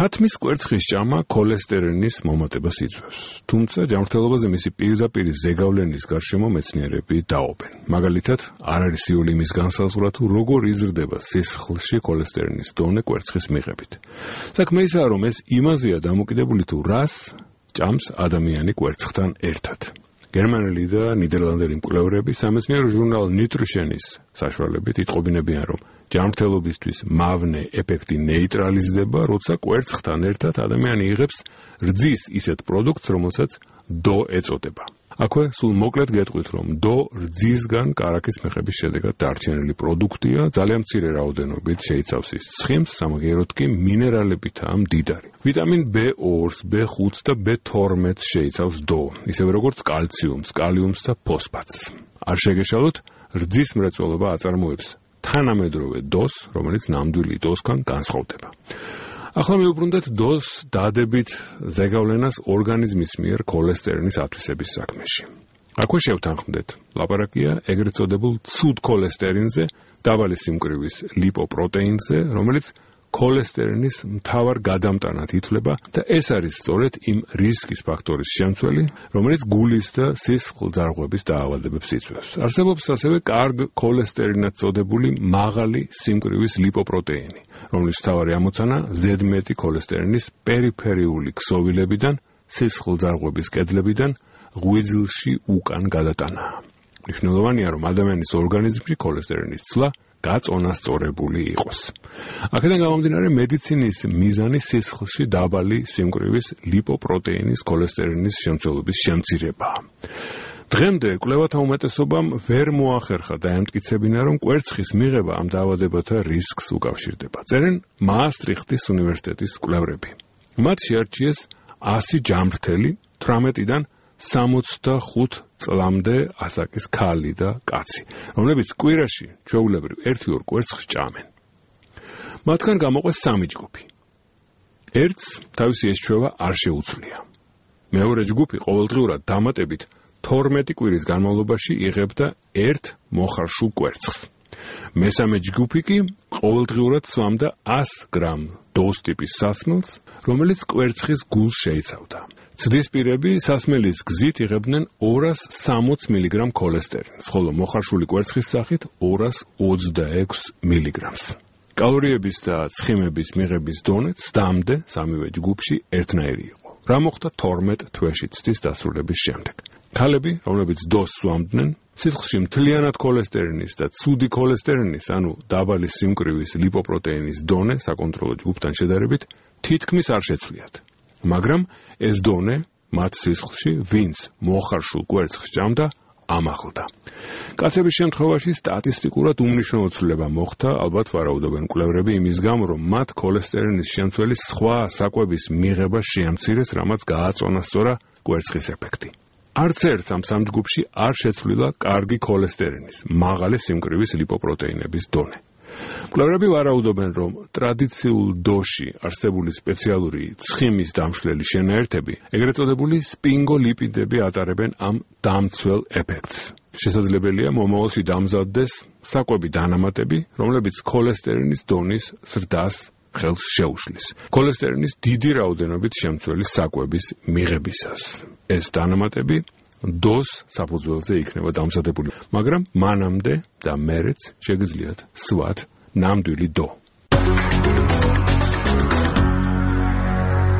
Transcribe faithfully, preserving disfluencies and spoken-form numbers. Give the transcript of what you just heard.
ქათმის კვერცხის ჭამა ქოლესტერინის მომატებას იწვევს, თუმცა ჯანმრთელობაზე მისი პირდაპირ ზეგავლენის გარშემო მეცნიერები დაობენ. მაგალითად, არ არის იული იმის განსაზღვრა თუ როგორ იზრდება სისხლში ქოლესტერინის დონე კვერცხის მიღებით. საქმე ისაა, რომ ეს იმაზეა დამოკიდებული თუ რას ჭამს ადამიანი კვერცხთან ერთად. გერმანელი და ნიდერლანდელი მკვლევრები სამეცნიერო ჟურნალ Nutrition-ის საშუალებით იტყობინებიან, რომ ჯანმრთელობისთვის მავნე ეფექტი ნეიტრალიზდება, როცა კვერცხთან ერთად ადამიანი იღებს რძის ისეთ პროდუქტს, რომელსაც დო ეწოდება. აქვე სულ მოკლედ გეტყვით, რომ დო რძისგან კარაქის მიღების შედეგად დარჩენილი პროდუქტია, ძალიან მცირე რაოდენობით შეიცავს ის ცხიმს, სამაგიეროდ კი მინერალებითაა მდიდარი. ვიტამინ ბ ორს, ბ ხუთს და ბ თორმეტს შეიცავს დო, ისევე როგორც კალციუმს, კალიუმს და ფოსფატს. არ შეგეშალოთ, რძის მრეწველობა აწარმოებს თანამედროვე დოს, რომელიც ნამდვილი დოსგან განსხვავდება. ახლა მივუბრუნდეთ დოს დადებით ზეგავლენას ორგანიზმის მიერ ქოლესტერინის ათვისების საქმეში. აქვე შევთანხმდეთ, ლაპარაკია ეგრეთ წოდებულ ცუდ ქოლესტერინზე, დაბალი სიმკვრივის ლიპოპროტეინზე, რომელიც ქოლესტერინის მთავარ გადამტანად ითვლება და ეს არის სწორედ იმ რისკის ფაქტორის შემცველი, რომელიც გულის და სისხლძარღვების დაავადებებს იწვევს. არსებობს ასევე კარგ ქოლესტერინად წოდებული მაღალი სიმკვრივის ლიპოპროტეინი, რომლის მთავარი ამოცანა ზედმეტი ქოლესტერინის პერიფერიული ქსოვილებიდან, სისხლძარღვების კედლებიდან ღვიძლში უკან გადატანაა. მნიშვნელოვანია, რომ ადამიანის ორგანიზმში ქოლესტერინის ცვლა გაწონასწორებული იყოს. აქედან გამომდინარე, მედიცინის მიზანი სისხლში დაბალი სიმკვრივის ლიპოპროტეინის ქოლესტერინის შემცველობის შემცირებაა. დღემდე კვლევათა უმეტესობამ ვერ მოახერხა დაემტკიცებინა, რომ კვერცხის მიღება ამ დაავადებათა რისკს უკავშირდება. წერენ მაასტრიხტის უნივერსიტეტის კვლევრები. მათ შეარჩიეს ასი ჯანმრთელი თვრამეტიდან სამოცდახუთ წლამდე ასაკის ქალი და კაცი, რომლებიც კვირაში ჩვეულებრივ ერთი-ორ კვერცხს ჭამენ. მათგან გამოყვეს სამი ჯგუფი. ერთს თავისი ეს ჩვევა არ შეუცვლია. მეორე ჯგუფი ყოველდღიურად დამატებით თორმეტი კვირის განმავლობაში იღებდა ერთ მოხარშულ კვერცხს. მესამე ჯგუფი კი ყოველდღიურად სვამდა ას გრამ დოს ტიპის სასმელს, რომელიც კვერცხის გულს შეიცავდა. ცდისპირები სასმელის გზით იღებდნენ ორას სამოც მილიგრამ ქოლესტერინს, ხოლო მოხარშული კვერცხის სახით ორას ოცდაექვს მილიგრამს. კალორიების და ცხიმების მიღების დონე ცდამდე სამივე ჯგუფში ერთნაირი იყო. რა მოხდა თორმეტ თვეში ცდის დასრულების შემდეგ? ქალები, რომლებიც დოს სვამდნენ, სისხლში მთლიანად ქოლესტერინის და ცუდი ქოლესტერინის, ანუ დაბალი სიმკვრივის ლიპოპროტეინის დონე საკონტროლო ჯგუფთან შედარებით თითქმის არ შეცვლიათ. მაგრამ ეს დონე მათ სისხლში, ვინც მოხარშულ კვერცხს ჭამდა, ამაღლდა. კაცების შემთხვევაში სტატისტიკურად უმნიშვნელო ცვლილება მოხდა, ალბათ ვარაუდობენ კვლევრები იმის გამო, რომ მათ ქოლესტერინის შემცველი სხვა საკვების მიღება შეამცირეს, რამაც გააწონასწორა კვერცხის ეფექტი. არც ერთ ამ სამ ჯგუფში არ შეცვლილა კარგი ქოლესტერინის, მაღალი სიმკვრივის ლიპოპროტეინების დონე. კვლევრები ვარაუდობენ, რომ ტრადიციულ დოში არსებული სპეციალური ცხიმის დამშლელი შენაერთები, ეგრეთ წოდებული სპინგოლიპიდები ატარებენ ამ დამცველ ეფექტს. შესაძლებელია მომავალში დამზადდეს საკვები დანამატები, რომლებიც ქოლესტერინის დონის ზრდას ხელს შეუშლის. ქოლესტერინის დიდი რაოდენობით შემცველი საკვების მიღებისას. ეს დანამატები დოს საფუძველზე იქნება დამზადებული, მაგრამ მანამდე და მერეც შეგიძლიათ სვათ ნამდვილი დო.